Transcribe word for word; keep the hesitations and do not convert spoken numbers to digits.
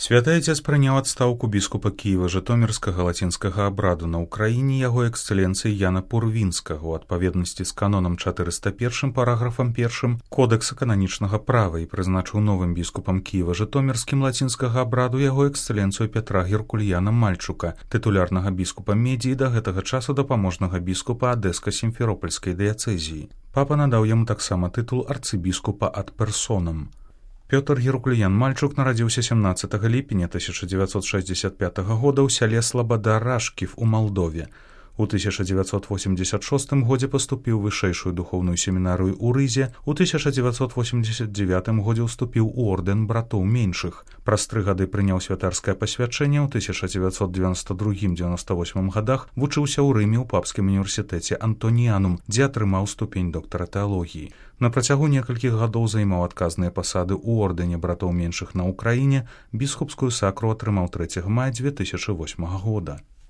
Святы Отец прыняў адстаўку біскупа Кіева-Жытомірскага лацінскага абраду на ўкраіне яго эксцэленцыі Яна Пурвінскага у адпаведнасці з канонам чатырыста першым параграфам першым Кодэкса кананічнага права і прызначыў новым біскупам Кіева-Жытомірскім лацінскага абраду яго эксцэленцыю Пятра Геркульяна Мальчука, тытулярнага біскупа Медзі і да гэтага часу дапаможнага біскупа Адэска-Сімферопольскай дыяцэзіі. Папа надаў яму таксама тытул арцыбіскупа ад персонам. Пётр Геркульян Мальчук нарадзіўся сямнаццатага ліпеня тысяча дзевяцьсот шэсцьдзесят пятага года ў сяле Слабода-Рашків у Малдове. У тысяча дзевяцьсот восемьдесят шостым годзе паступіў у вышэйшую духоўную семінарыю ў Рызе, у тысяча дзевяцьсот восемьдесят девятым годзе ўступіў у ордэн братоў меншых. Праз тры гады прыняў святарскае пасвячэнне, ў тысяча дзевяцьсот девяносто другім — девяносто восьмым годах вучыўся ў Рыме ў папскім універсітэце Антоніянум, дзе атрымаў ступень доктара тэалогіі. На працягу некалькіх гадоў займаў адказныя пасады ў ордэне братоў меншых на Ўкраіне, біскупскую сакру атрымаў трэцяга мая дзве тысячы восьмага года.